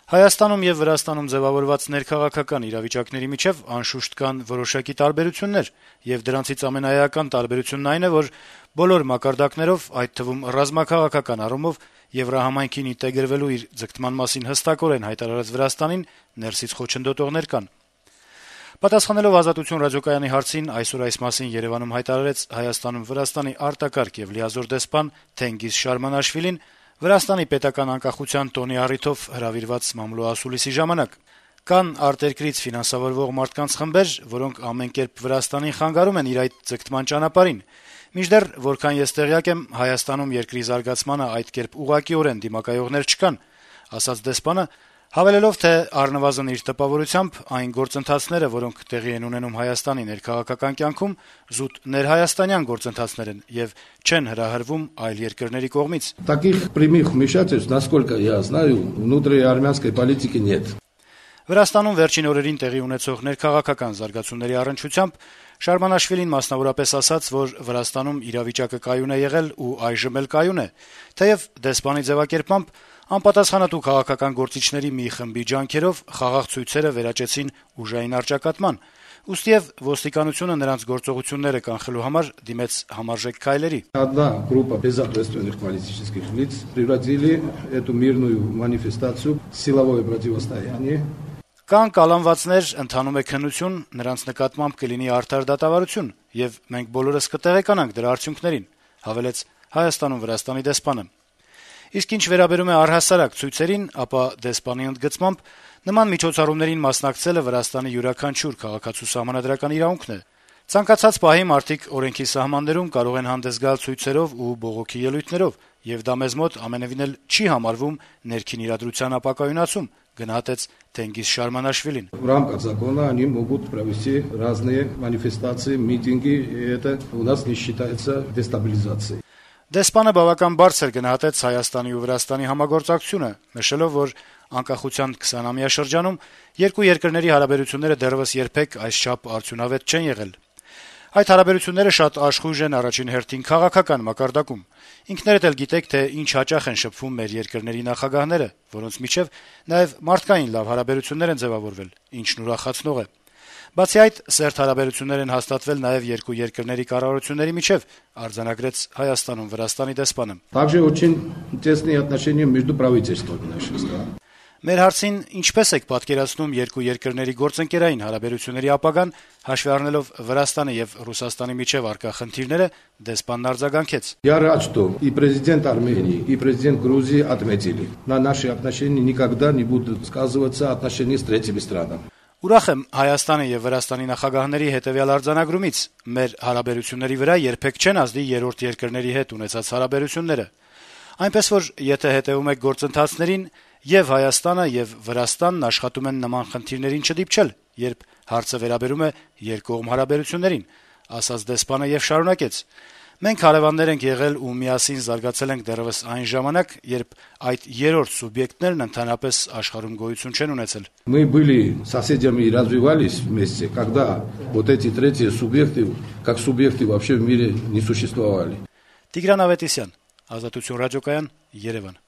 Հայաստանում եւ Վրաստանում ձեւավորված ներքաղաքական իրավիճակների միջեւ անշուշտ կան որոշակի տարբերություններ, եւ դրանցից ամենաէական տարբերությունն այն է, որ բոլոր մակարդակներով, այդ թվում ռազմաքաղաքական առումով Եվրահամայնքին ինտեգրվելու իր ձգտման մասին հստակորեն հայտարարած Վրաստանին ներսից խոչընդոտողներ կան։ Պատասխանելով Ազատություն ռադիոկայանի հարցին, այսօր այս մասին Երեւանում հայտարարեց Հայաստանում Վրաստանի արտակարգ եւ լիազոր դեսպան Թենգիզ Շարմանաշվիլին Վրաստանի պետական անկախության տոնի առիթով հրավիրված մամլո ասուլիսի ժամանակ։ Կան արտերկրից ֆինանսավորվող մարդկանց խմբեր, որոնք ամեն կերպ Վրաստանին խանգարում են իր այդ ձգտման ճանապարհին։ Մինչդեռ, որքան ես տեղյակ եմ, Հայաստանում երկրի զարգացմանը այդ կերպ ուղղակիորեն դիմակայողներ չկան, ասաց դեսպանը, հավելելով, թե առնվազն իր տպավորությամբ այն գործընթացները, որոնք տեղի են ունենում Հայաստանի ներքաղաքական կյանքում, զուտ ներհայաստանյան գործընթացներ են եւ չեն հրահրվում այլ երկրների կողմից։ Таких прямых вмешательств, насколько я знаю, внутри армянской политики нет. Վրաստանում վերջին օրերին տեղի ունեցող ներքաղաքական զարգացումների առնչությամբ Շարմանաշվիլին մասնավորապես ասաց, որ Վրաստանում իրավիճակը կայուն է եղել ու այժմ էլ կայուն է, թեև դեսպանի ձևակերպմամբ անպատասխանատու քաղաքական գործիչների մի խմբի ջանքերով խաղաղ ցույցերը վերաճեցին ուժային առճակատման, ուստիև ոստիկանությունը նրանց գործողությունները կանխելու համար դիմեց համարժեք քայլերի։ Одна группа безответственных политических лиц превратили эту мирную манифестацию в силовое противостояние. Կան կալանվածներ, ընթանում է քննություն, նրանց նկատմամբ կլինի արդար դատավարություն, եւ մենք բոլորս կտեղեկանանք դրա արդյունքներին, հավելեց Հայաստանում Վրաստանի դեսպանը։ Իսկ ինչ վերաբերում է առհասարակ ցույցերին, ապա դեսպանի ընդգծմամբ նման միջոցառումներին մասնակցելը Վրաստանի յուրաքանչյուր քաղաքացու սահմանադրական իրավունքն է։ Ցանկացած պահի մարդիկ օրենքի սահմաններում կարող են հանդես գալ ցույցերով ու բողոքի ելույթներով, եւ դա մեզ մոտ ամենևին էլ չի համարվում ներքին իրադրության ապակայունացում, գնահատեց Թենգիզ Շարմանաշվիլին։ В рамках закона они могут провести разные манифестации, митинги, и это у нас не считается дестабилизацией. Դեսպանը բավական բարձր գնահատեց Հայաստանի ու Վրաստանի համագործակցությունը, նշելով, որ անկախության 20-ամյա շրջանում երկու երկրների հարաբերությունները դեռևս երբեք այսչափ արդյունավետ չեն եղել։ Այդ հարաբերությունները շատ աշխույժ են առաջին հերթին քաղաքական մակարդակում։ Ինքներդ էլ գիտեք, թե ինչ հաճախ են շփվում մեր երկրների նախագահները, որոնց միջև նաև մարդկային լավ հարաբերություններ են ձևավորվել, ինչն ուրախացնող է։ Բացի այդ, սերտ հարաբերություններ են հաստատվել նաև երկու երկրների կառավարությունների միջև, արձանագրեց Հայաստանում Վրաստանի դեսպանը։ Также очень тесные отношения между правительствами наших стран. Մեր հարցին ինչպես եք պատկերացնում երկու երկրների գործընկերային հարաբերությունների ապագան, հաշվի առնելով Վրաստանի եւ Ռուսաստանի միջև առկա խնդիրները, դեսպանն արձագանքեց. Я рад, что и президент Армении, и президент Грузии отметили. На наши отношения никогда не будут сказываться отношения с третьими странами. Ուրախ եմ Հայաստանի եւ Վրաստանի նախագահների հետեւյալ արձանագրումից. մեր հարաբերությունների վրա երբեք չեն ազդի երրորդ երկրների հետ ունեցած հարաբերությունները։ Այնպես որ եթե հետեւում եք գործընթացներին, եւ Հայաստանը եւ Վրաստանն աշխատում են նման խնդիրներին չդիպչել, երբ հարցը վերաբերում է երկկողմ հարաբերություններին, ասաց դեսպանը եւ շարունակեց. Մենք հարևաններ ենք եղել ու միասին զարգացել ենք դեռևս այն ժամանակ, երբ այդ երրորդ սուբյեկտներն ընդհանրապես աշխարհում գոյություն չեն ունեցել։ Мы были соседями и развивались вместе, когда вот эти третьи субъекты, как субъекты вообще в мире не существовали. Տիգրան Ավետիսյան, Ազատություն ռադիոկայան, Երևան։